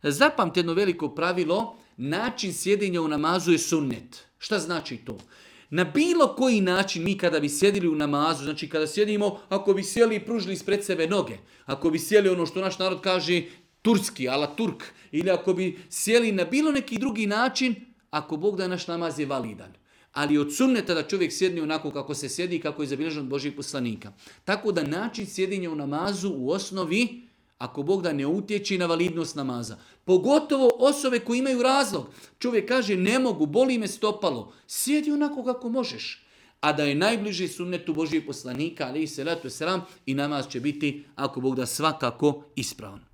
Zapamtite jedno veliko pravilo, način sjedenja u namazu je sunnet. Šta znači to? Na bilo koji način mi kada bi sjedili u namazu, znači kada sjedimo, ako bi sjeli i pružili ispred sebe noge, ako bi sjeli ono što naš narod kaže turski, ala turk, ili ako bi sjeli na bilo neki drugi način, ako Bog da naš namaz je validan. Ali od sunneta da čovjek sjedne onako kako se sjedi i kako je zabilježeno od Božjih poslanika. Tako da način sjedinja u namazu u osnovi, ako Bog da ne utječi na validnost namaza. Pogotovo osobe koje imaju razlog. Čovjek kaže ne mogu, boli me stopalo. Sjedi onako kako možeš. A da je najbliži sunnetu Božjih poslanika, alejhi selatu vesselam, i namaz će biti, ako Bog da, svakako ispravan.